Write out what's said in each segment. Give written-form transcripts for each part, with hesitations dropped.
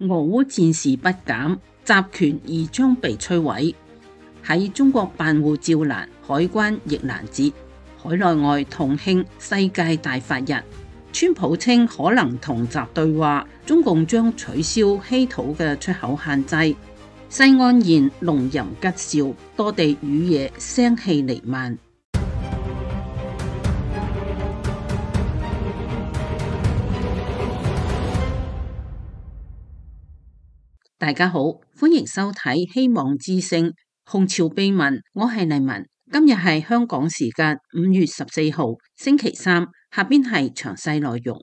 俄烏戰事不減，集權而將被摧毀。喺中國辦護照難，海關亦難截，海內外同慶世界大法日。川普稱可能同習對話，中共將取消稀土嘅出口限制。西安現龍吟吉兆，多地雨夜聲氣彌漫。大家好，歡迎收睇希望之聲紅潮秘聞，我係麗文。今日係香港時間5月14號星期三，下邊係詳細內容。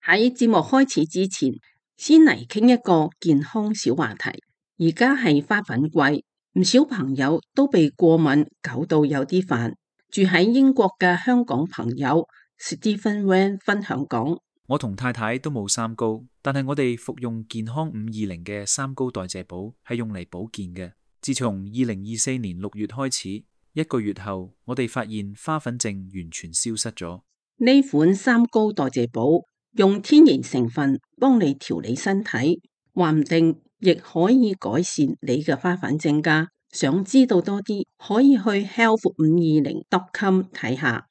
喺節目開始之前，先嚟傾一個健康小話題。而家係花粉季，唔少朋友都被過敏搞到有啲煩。住喺英國嘅香港朋友 Stephen Wan 分享講：我同太太都冇三高，但係我哋服用健康520嘅三高代謝寶係用嚟保健嘅。自從2024年6月開始，1個月後，我哋發現花粉症完全消失咗。呢款三高代謝寶用天然成分幫你調理身體，話唔定亦可以改善你嘅花粉症㗎。想知道多啲，可以去 health520.com 睇下。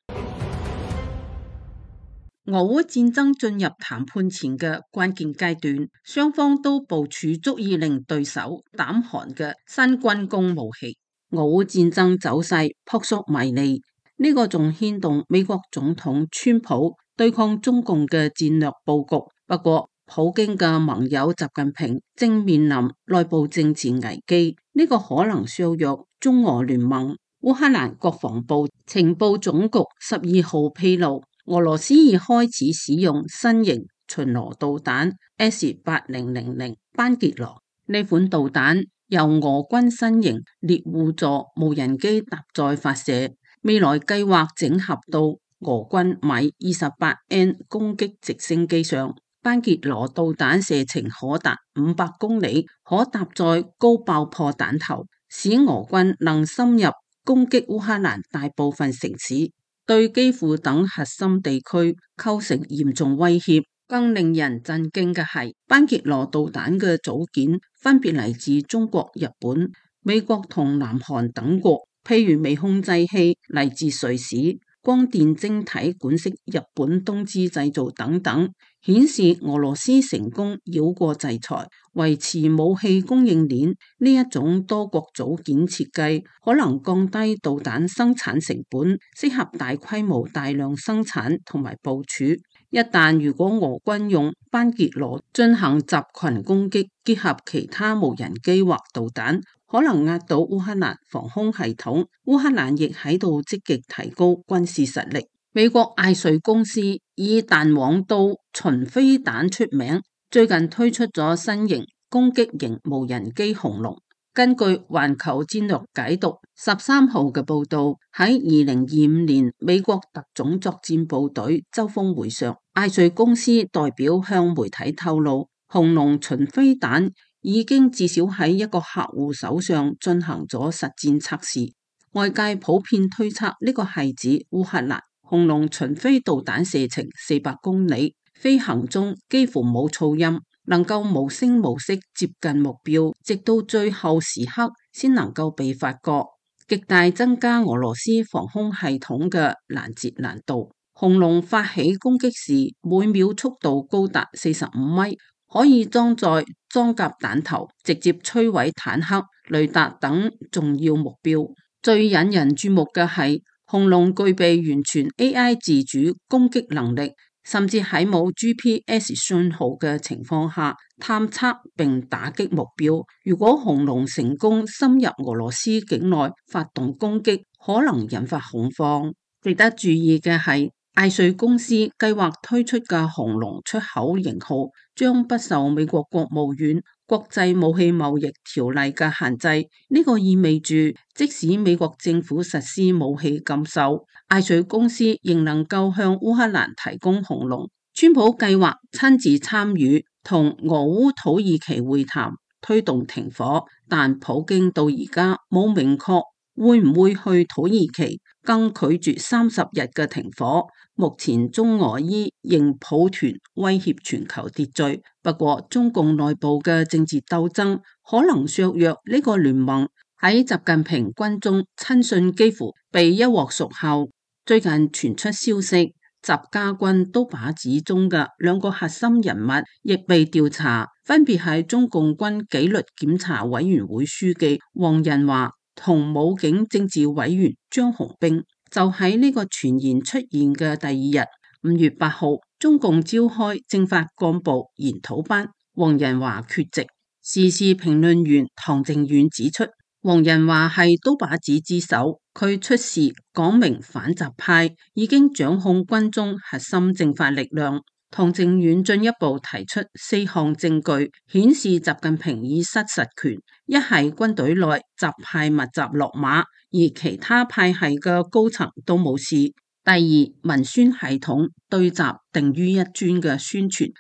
俄烏戰爭進入談判前嘅關鍵階段，雙方都部署足以令對手膽寒嘅新軍工武器。俄烏戰爭走勢撲朔迷離，呢個仲牽動美國總統川普對抗中共嘅戰略佈局。不過，普京嘅盟友習近平正面臨內部政治危機，呢個可能削弱中俄聯盟。烏克蘭國防部情報總局12號披露，俄羅斯已開始使用新型巡邏導彈 S-8000班傑羅。呢款導彈由俄軍新型獵戶座無人機搭載發射，未來計劃整合到俄軍米 28N 攻擊直升機上。班傑羅導彈射程可達500公里，可搭載高爆破彈頭，使俄軍能深入攻擊烏克蘭大部分城市，對基輔等核心地區構成嚴重威脅。更令人震驚嘅係，班傑羅導彈嘅組件分別嚟自中國、日本、美國同南韓等國，譬如微控制器嚟自瑞士，光電晶體管式日本東芝製造等等，顯示俄羅斯成功繞過制裁，維持武器供應鏈。呢一種多國組件設計可能降低導彈生產成本，適合大規模大量生產同埋部署。一旦如果俄軍用班傑羅進行集群攻擊，結合其他無人機或導彈，可能壓倒烏克蘭防空系統。烏克蘭亦喺度積極提高軍事實力。美國艾瑞公司以彈簧刀巡飛彈出名，最近推出咗新型攻擊型無人機紅龍。根據環球戰略解讀13號嘅報道，喺2025年美國特種作戰部隊周峰會上，艾瑞公司代表向媒體透露，紅龍巡飛彈已經至少喺一個客戶手上進行咗實戰測試。外界普遍推測呢個係指烏克蘭。紅龍巡飛導彈射程400公里，飛行中幾乎冇噪音，能夠無聲無息接近目標，直到最後時刻先能夠被發覺，極大增加俄羅斯防空系統嘅攔截難度。紅龍發起攻擊時，每秒速度高達45米，可以裝載裝甲彈頭，直接摧毀坦克、雷達等重要目標。最引人注目嘅係，紅龍具備完全 AI 自主攻擊能力，甚至喺冇 GPS 信號嘅情況下探測並打擊目標。如果紅龍成功深入俄羅斯境內發動攻擊，可能引發恐慌。值得注意嘅係，艾瑞公司計劃推出嘅紅龍出口型號將不受美國國務院國際武器貿易條例嘅限制。呢個意味住，即使美國政府實施武器禁售，艾瑞公司仍能夠向烏克蘭提供紅龍。川普計劃親自參與同俄烏土耳其會談，推動停火，但普京到而家冇明確會唔會去土耳其。更拒絕30日嘅停火。目前中俄伊仍抱團威脅全球秩序，不過中共內部嘅政治鬥爭可能削弱呢個聯盟。喺習近平軍中親信幾乎被一鑊熟後，最近傳出消息，習家軍刀把子中嘅2個核心人物亦被調查，分別係中共軍紀律檢查委員會書記黃仁華同武警政治委員張紅兵。就喺呢個傳言出現嘅第2日，5月8號，中共召開政法幹部研討班，黃仁華缺席。時事評論員唐靖遠指出，黃仁華係刀把子之首，佢出事講明反習派已經掌控軍中核心政法力量。唐靖遠進一步提出4項證據，顯示習近平已失實權：一係軍隊內習派密集落馬，而其他派系嘅高層都冇事；第二，文宣系統對習定於一尊嘅宣傳急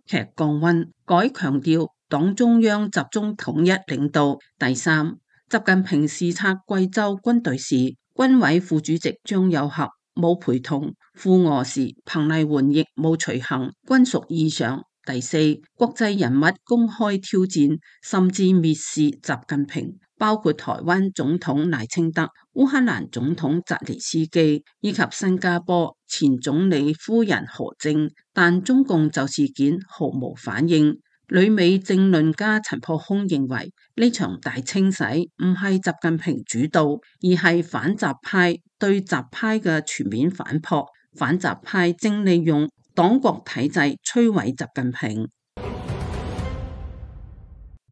劇降溫，改強調黨中央集中統一領導；第三，習近平視察貴州軍隊時，軍委副主席張又俠冇陪同，赴俄時彭麗媛亦冇隨行，均屬異常。第四，國際人物公開挑戰甚至蔑視習近平，包括台灣總統賴清德、烏克蘭總統澤連斯基以及新加坡前總理夫人何靖，但中共就事件毫無反應。旅美政論家陳破空認為，呢場大清洗唔係習近平主導，而係反習派對習派嘅全面反撲，反習派正利用黨國體制摧毀習近平。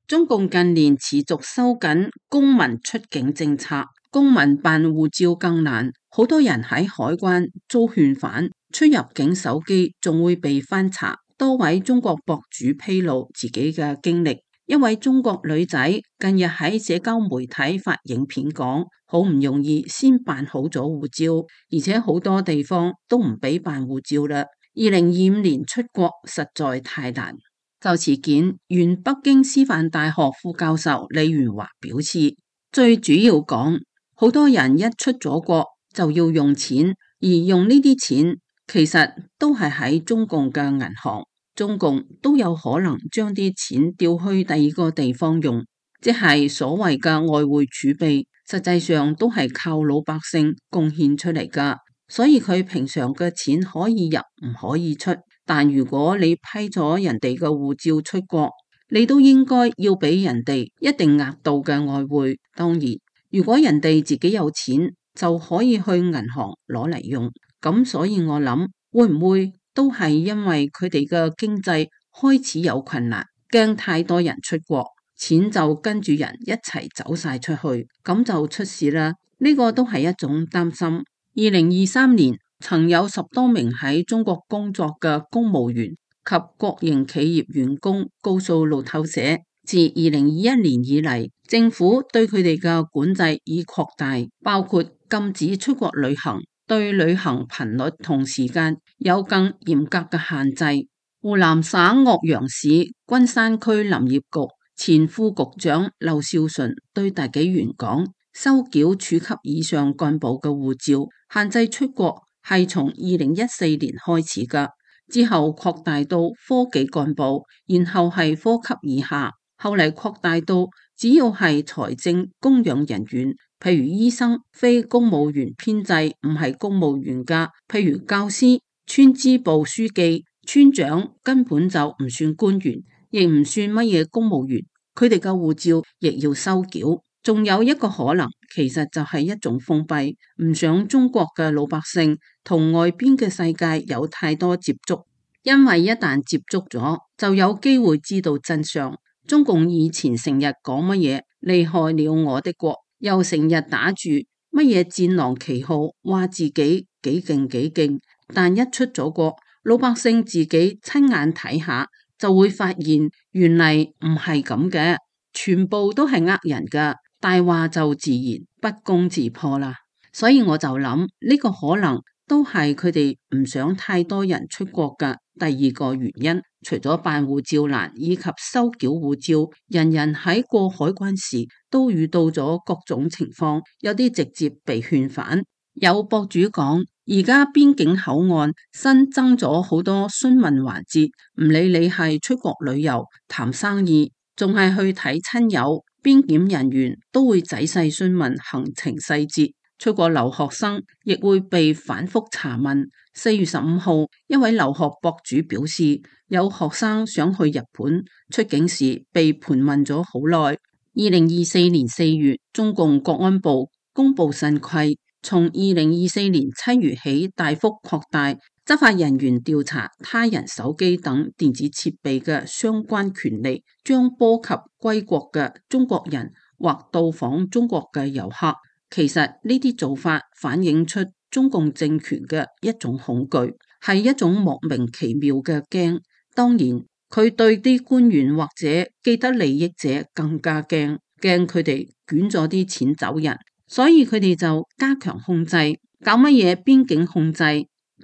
中共近年持續收緊公民出境政策，公民辦護照更難，好多人喺海關遭勸返，出入境手機仲會被翻查。多位中國博主披露自己嘅經歷，一位中國女仔近日喺社交媒體發影片講，好唔容易先辦好咗護照，而且好多地方都唔俾辦護照啦。2025年出國實在太難。就此件，原北京師範大學副教授李元華表示，最主要講，好多人一出咗國就要用錢，而用呢啲錢其實都係喺中共嘅銀行，中共都有可能將啲錢調去第二個地方用，即係所謂嘅外匯儲備，實際上都係靠老百姓貢獻出嚟噶。所以佢平常嘅錢可以入唔可以出，但如果你批咗人哋嘅護照出國，你都應該要俾人哋一定額度嘅外匯。當然，如果人哋自己有錢，就可以去銀行攞嚟用。咁所以我諗，會唔會都係因為佢哋嘅經濟開始有困難，驚太多人出國，錢就跟住人一齊走晒出去，咁就出事啦。呢個都係一種擔心。2023年曾有10多名喺中國工作嘅公務員及國營企業員工告訴路透社，自2021年以嚟，政府對佢哋嘅管制已擴大，包括禁止出國旅行，對旅行頻率同時間有更嚴格嘅限制。湖南省岳陽市君山區林業局前副局長劉少純對大紀元講，收繳處級以上幹部嘅護照，限制出國係從2014年開始㗎，之後擴大到科技幹部，然後係科級以下，後嚟擴大到只要係財政供養人員，譬如醫生、非公務員編制唔係公務員㗎，譬如教師、村支部書記、村長根本就唔算官員，亦唔算乜嘢公務員，佢哋嘅護照亦要收繳。仲有一個可能，其實就係一種封閉，唔想中國嘅老百姓同外邊嘅世界有太多接觸，因為一旦接觸咗，就有機會知道真相。中共以前成日講乜嘢厲害了我的國，又成日打住乜嘢戰狼旗號，話自己幾勁幾勁，但一出咗國，老百姓自己親眼睇下，就會發現原嚟唔係咁嘅，全部都係呃人噶。大話就自然不攻自破啦，所以我就諗呢個可能都係佢哋唔想太多人出國嘅第二個原因。除咗辦護照難以及收繳護照，人人喺過海關時都遇到咗各種情況，有啲直接被勸返。有博主講，而家邊境口岸新增咗好多詢問環節，唔理你係出國旅遊、談生意，仲係去睇親友，邊檢人員都會仔細詢問行程細節。出國留學生亦會被反覆查問。4月15號，一位留學博主表示，有學生想去日本，出境時被盤問咗好耐。2024年4月，中共國安部公布新規，從2024年7月起大幅擴大執法人員調查他人手機等電子設備嘅相關權利，將波及歸國嘅中國人或到訪中國嘅遊客。其實呢啲做法反映出中共政權嘅一種恐懼，係一種莫名其妙嘅驚。當然，佢對啲官員或者既得利益者更加驚佢哋捲咗啲錢走人，所以佢哋就加強控制，搞乜嘢邊境控制，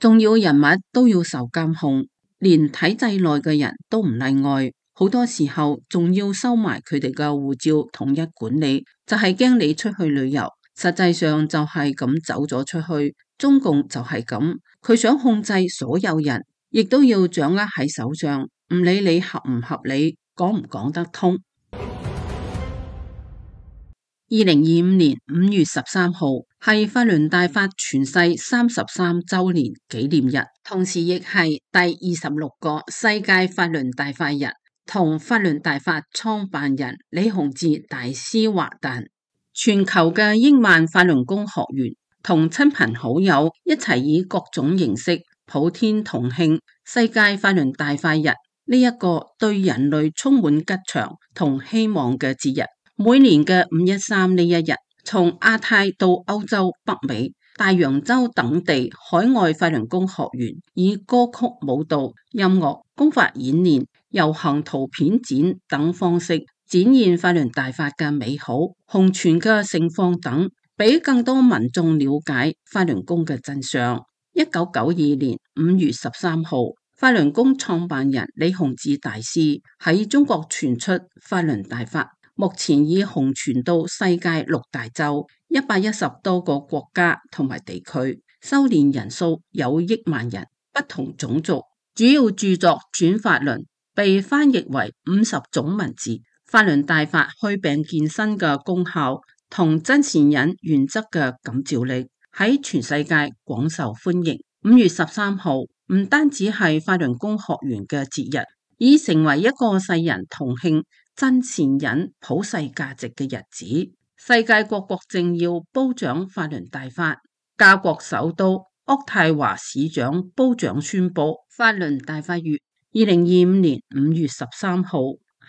重要人物都要受監控，連體制內嘅人都唔例外。好多時候仲要收埋佢哋嘅護照，統一管理，就係驚你出去旅遊。實際上就係咁走咗出去，中共就係咁，佢想控制所有人，亦都要掌握喺手上，唔理你合唔合理，講唔講得通。2025年5月13號係法輪大法傳世33週年紀念日，同時亦係第26個世界法輪大法日，同法輪大法創辦人李洪志大師華誕。全球嘅億萬法輪功學員同親朋好友一齊以各種形式普天同慶世界法輪大法日，呢一個對人類充滿吉祥同希望嘅節日。每年嘅513呢一日，從亞太到歐洲、北美、大洋洲等地海外法輪功學員以歌曲、舞蹈、音樂、功法演練、遊行、圖片展等方式展現法輪大法嘅美好、弘傳嘅盛況等，俾更多民眾了解法輪功嘅真相。1992年5月13號，法輪功創辦人李洪志大師喺中國傳出法輪大法，目前已弘傳到世界6大洲110多個國家同埋地區，修煉人數有億萬人，不同種族。主要著作《轉法輪》被翻譯為50種文字。法輪大法祛病健身嘅功效同真善忍原則嘅感召力喺全世界廣受歡迎。5月13號唔單止係法輪功學員嘅節日，已成為一個世人同慶真善忍普世價值嘅日子。世界各國政要褒獎法輪大法，加國首都渥太華市長褒獎宣布法輪大法月。2025年5月13號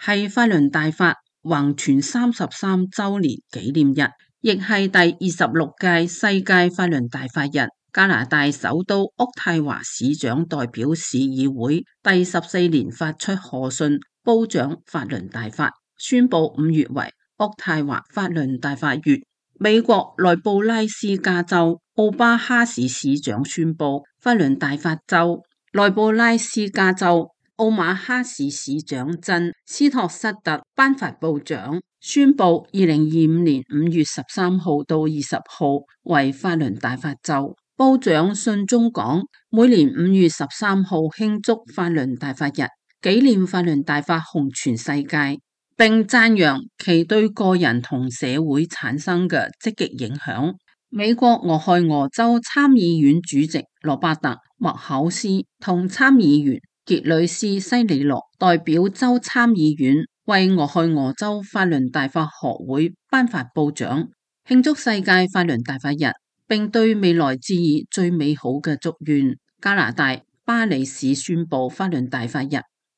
係法輪大法弘傳33週年紀念日，亦係第26屆世界法輪大法日。加拿大首都渥太華市長代表市議會第14年發出賀信，褒獎法輪大法，宣布5月為渥太華法輪大法月。美國內布拉斯加州奧巴哈市市長宣布法輪大法週。內布拉斯加州奧馬哈市市長珍斯托瑟特頒發褒獎，宣布2025年5月13號到20號為法輪大法週。褒獎信中講，每年5月13號慶祝法輪大法日，紀念法輪大法弘傳世界，並讚揚其對個人同社會產生嘅積極影響。美國俄亥俄州參議院主席羅伯特麥考斯同參議員傑里斯西里羅代表州參議院為俄亥俄州法輪大法學會頒發褒獎，慶祝世界法輪大法日，並對未來致以最美好嘅祝願。加拿大巴里市宣布法輪大法日。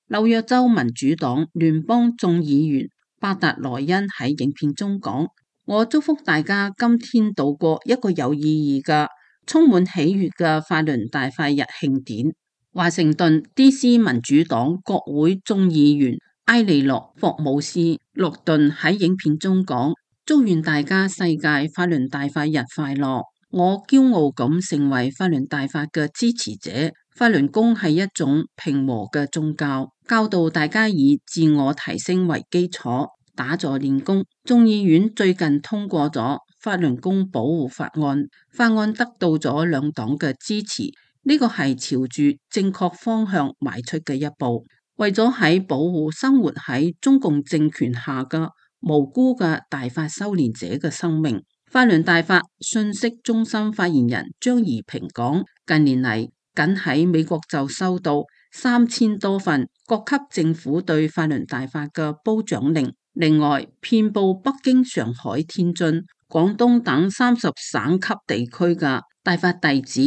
紐約州民主黨聯邦眾議員巴達萊恩喺影片中講，我祝福大家今天度過一個有意義嘅、充滿喜悅嘅法輪大法日慶典。華盛頓 DC 民主黨國會眾議員埃利諾霍姆斯洛頓喺影片中講，祝願大家世界法輪大法日快樂。我驕傲咁成為法輪大法嘅支持者。法輪功係一種平和嘅宗教，教導大家以自我提升為基礎，打坐練功。眾議院最近通過咗法輪功保護法案，法案得到咗兩黨嘅支持，呢個係朝住正確方向邁出嘅一步。為咗喺保護生活喺中共政權下嘅無辜嘅大法修煉者嘅生命，法輪大法信息中心發言人張宜平講，近年嚟僅喺美國就收到3000多份各級政府對法輪大法嘅褒獎令，另外遍佈北京、上海、天津、廣東等30省級地區嘅大法弟子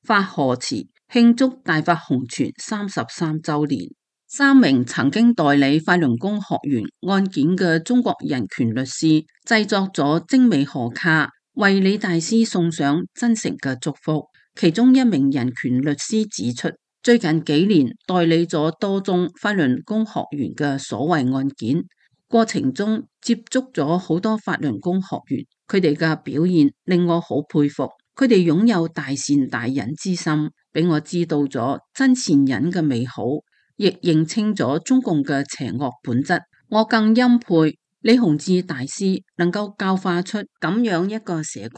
發賀詞慶祝大法紅傳33週年。3名曾經代理法輪功學員案件嘅中國人權律師製作咗精美賀卡，為李大師送上真誠嘅祝福。其中一名人權律師指出，最近幾年代理咗多宗法輪功學員嘅所謂案件，過程中接觸咗好多法輪功學員，佢哋嘅表現令我好佩服，佢哋擁有大善大忍之心，俾我知道咗真善忍嘅美好，亦認清咗中共嘅邪惡本質。我更欽佩李洪志大師能夠教化出咁樣一個社群。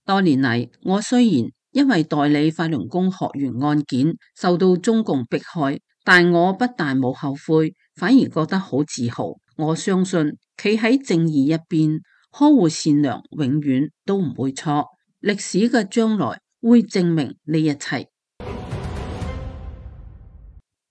多年嚟，我雖然因為代理法輪功學員案件受到中共迫害，但我不但冇後悔，反而覺得好自豪。我相信企喺正義一邊，呵護善良，永遠都唔會錯。歷史嘅將來會證明呢一切。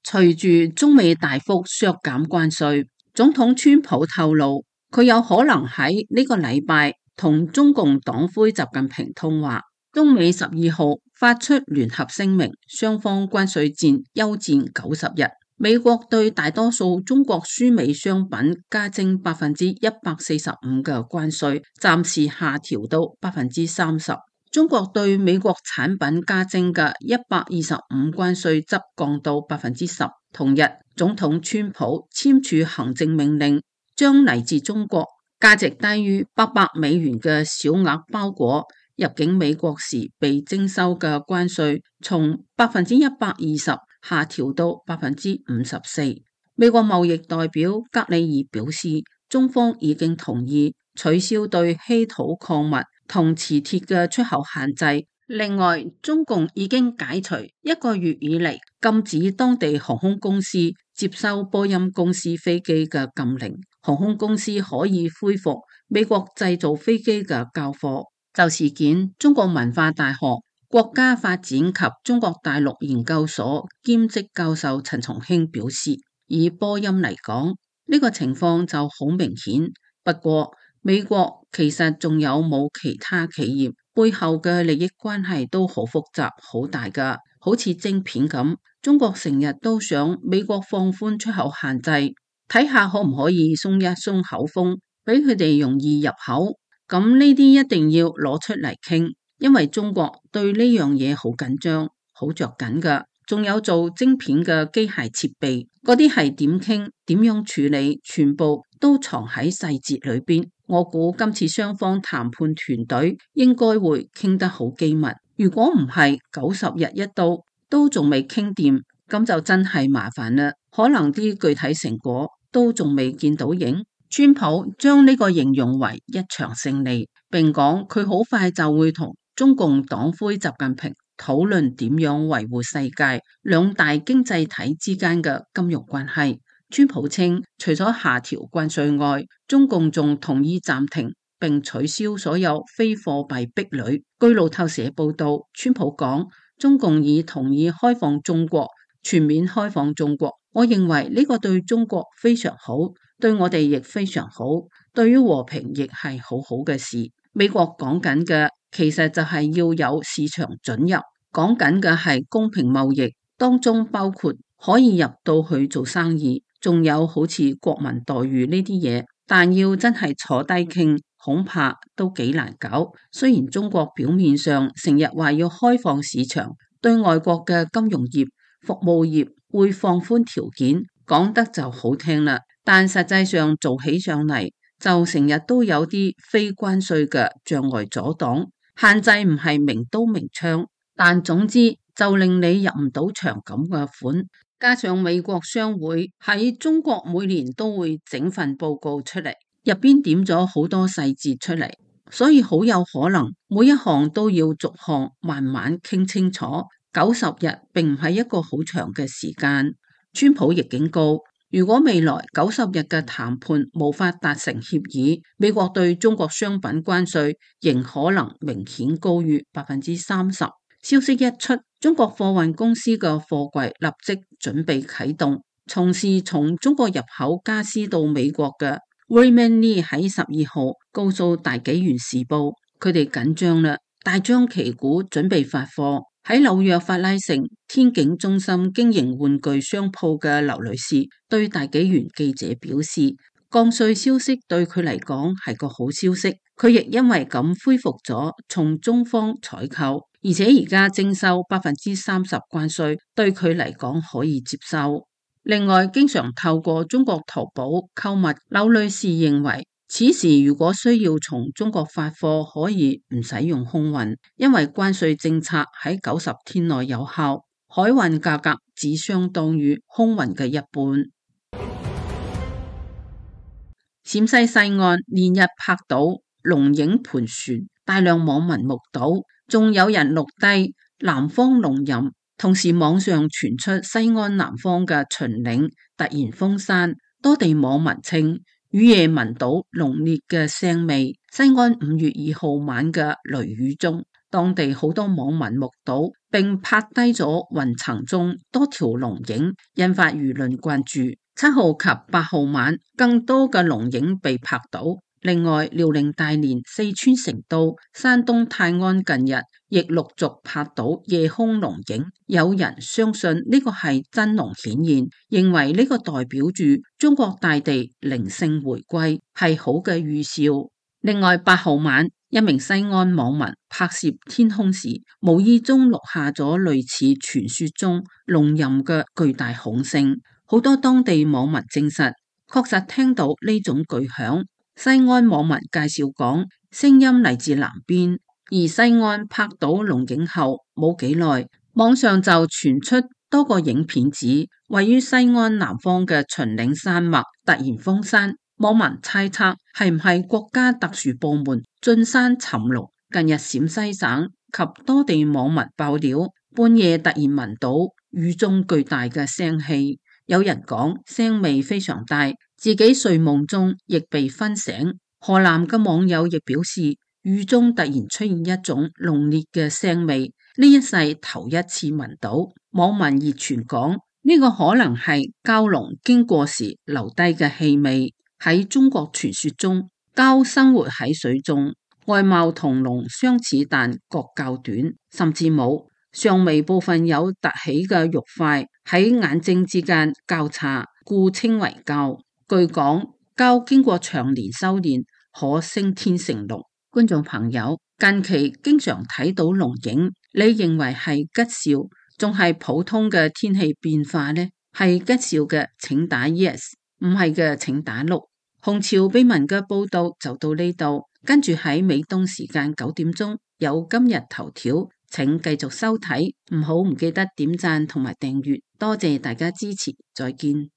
隨住中美大幅削減關稅，總統川普透露，佢有可能喺呢個禮拜同中共黨魁習近平通話。中美12號發出聯合聲明，雙方關稅戰休戰90日。美國對大多數中國輸美商品加徵145%嘅關稅，暫時下調到30%。中國對美國產品加徵嘅125%關稅則降到10%。同日，總統川普簽署行政命令，將嚟自中國價值低於800美元嘅小額包裹入境美國時被徵收嘅關稅，從120%下調到54%。美國貿易代表格里爾表示，中方已經同意取消對稀土礦物同磁鐵嘅出口限制。另外，中共已經解除1個月以嚟禁止當地航空公司接收波音公司飛機嘅禁令，航空公司可以恢復美國製造飛機嘅交貨。就事件，中國文化大學國家發展及中國大陸研究所兼職教授陳松興表示，以波音嚟講，呢個情況就好明顯。不過，美國其實仲有冇其他企業背後嘅利益關係都好複雜、好大㗎，好似晶片咁。中國成日都想美國放寬出口限制，睇下可唔可以鬆一鬆口風，俾佢哋容易入口。咁呢啲一定要攞出嚟傾，因為中國對呢樣嘢好緊張、好着緊㗎。仲有做晶片嘅機械設備，嗰啲係點傾、點樣處理，全部都藏喺細節裏邊。我估今次雙方談判團隊應該會傾得好機密。如果唔係90日一到，都仲未傾掂，咁就真係麻煩啦。可能啲具體成果都仲未見到影。川普將呢個形容為一場勝利，並講佢好快就會同中共黨魁習近平討論點樣維護世界兩大經濟體之間嘅金融關係。川普稱，除咗下調關稅外，中共仲同意暫停並取消所有非貨幣壁壘。據路透社報道，川普講，中共已同意開放中國，全面開放中國。我認為呢個對中國非常好，對我哋亦非常好，對於和平亦係好好嘅事。美國講緊嘅其實就係要有市場准入，講緊嘅係公平貿易，當中包括可以入到去做生意，仲有好似國民待遇呢啲嘢。但要真係坐低傾，恐怕都幾難搞。雖然中國表面上成日話要開放市場，對外國嘅金融業、服務業會放寬條件，講得就好聽啦，但實際上做起上嚟就成日都有啲非關稅嘅障礙阻擋，限制唔係明刀明槍，但總之就令你入唔到場咁嘅款。加上美國商會喺中國每年都會整份報告出嚟，入邊點咗好多細節出嚟，所以好有可能每一項都要逐項慢慢傾清楚。90日並唔係一個好長嘅時間。川普亦警告，如果未來90日嘅談判無法達成協議，美國對中國商品關稅仍可能明顯高於30%。消息一出，中國貨運公司嘅貨櫃立即準備啟動。從事從中國入口家私到美國嘅 Raymond Lee 喺12號告訴大紀元時報，佢哋緊張啦，大張旗鼓準備發貨。喺紐約法拉盛天景中心經營玩具商鋪嘅劉女士對大紀元記者表示，降稅消息對佢嚟講係個好消息，佢亦因為咁恢復咗從中方採購，而且而家徵收30%關稅對佢嚟講可以接受。另外，經常透過中國淘寶購物，劉女士認為此時如果需要從中國發貨，可以唔使用空運，因為關稅政策喺90天內有效，海運價格只相當於空運嘅一半。陝西西岸連日拍到龍影盤旋，大量網民目睹，仲有人錄低南方龍吟。同時網上傳出西安南方嘅秦嶺突然封山，多地網民稱雨夜聞到濃烈嘅腥味。西安5月2號晚嘅雷雨中，當地好多網民目睹並拍低咗雲層中多條龍影，引發輿論關注。7號及8號晚更多嘅龍影被拍到。另外，遼寧大連、四川成都、山東泰安近日亦陸續拍到夜空龍影，有人相信呢個係真龍顯現，認為呢個代表住中國大地靈性回歸，係好嘅預兆。另外，8號晚一名西安網民拍攝天空時，無意中錄下咗類似傳說中龍吟嘅巨大吼聲，好多當地網民證實確實聽到呢種巨響。西安網民介紹講，聲音嚟自南邊，而西安拍到龍影後冇幾耐，網上就傳出多個影片指位於西安南方嘅秦嶺山脈突然封山，網民猜測係唔係國家特殊部門進山尋龍。近日陝西省及多地網民爆料，半夜突然聞到雨中巨大嘅腥氣，有人講腥味非常大，自己睡夢中亦被熏醒。河南嘅網友亦表示，雨中突然出現一種濃烈嘅腥味，呢一世頭一次聞到。網民熱傳講，呢個可能係蛟龍經過時留低嘅氣味。喺中國傳說中，蛟生活喺水中，外貌同龍相似，但角較短，甚至冇上眉部分有凸起嘅肉塊喺眼睛之間交叉，故稱為蛟。據講，蛟經過長年修煉，可升天成龍。觀眾朋友，近期經常睇到龍影，你認為係吉兆，仲係普通嘅天氣變化呢？係吉兆嘅請打 yes， 唔係嘅請打 no。紅潮秘聞嘅報道就到呢度，跟住喺美東時間9點鐘有今日頭條，請繼續收睇，唔記得點讚同埋訂閱，多謝大家支持，再見。